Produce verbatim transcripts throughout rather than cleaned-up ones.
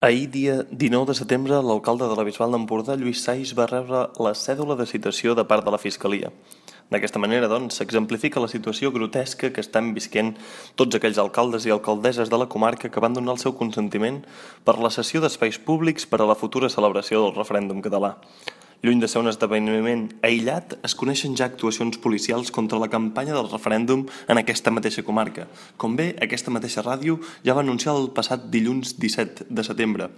Ahir, dia dinou de setembre, l'alcalde de la Bisbal d'Empordà, Lluís Sais, va rebre la cèdula de citació de part de la Fiscalia. D'aquesta manera, doncs, s'exemplifica la situació grotesca que estan visquent tots aquells alcaldes i alcaldesses de la comarca que van donar el seu consentiment per la cessió d'espais públics per a la futura celebració del referèndum català. Lluny de ser un esdeveniment aïllat, es coneixen ja actuacions policials contra la campanya del referèndum en aquesta mateixa comarca. Com bé, aquesta mateixa ràdio ja va anunciar el passat dilluns disset de setembre.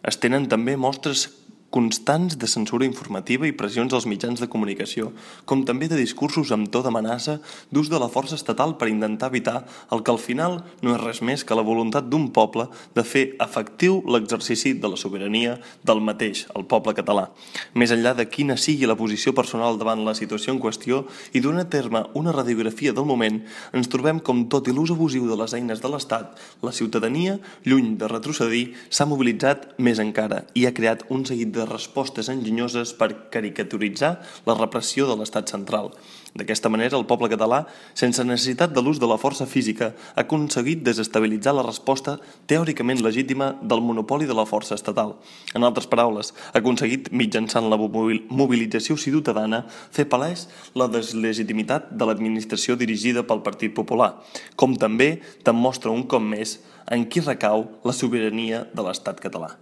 Es tenen també mostres constants de censura informativa i pressions als mitjans de comunicació, com també de discursos amb to d'amenaça d'ús de la força estatal per intentar evitar el que al final no és res més que la voluntat d'un poble de fer efectiu l'exercici de la sobirania del mateix, el poble català. Més enllà de quina sigui la posició personal davant la situació en qüestió i donar a terme una radiografia del moment, ens trobem com, tot i l'ús abusiu de les eines de l'Estat, la ciutadania, lluny de retrocedir, s'ha mobilitzat més encara i ha creat un seguit de respostes enginyoses per caricaturitzar la repressió de l'Estat central. D'aquesta manera, el poble català, sense necessitat de l'ús de la força física, ha aconseguit desestabilitzar la resposta teòricament legítima del monopoli de la força estatal. En altres paraules, ha aconseguit, mitjançant la mobilització ciutadana, fer palès la deslegitimitat de l'administració dirigida pel Partit Popular, com també demostra un cop més en qui recau la sobirania de l'Estat català.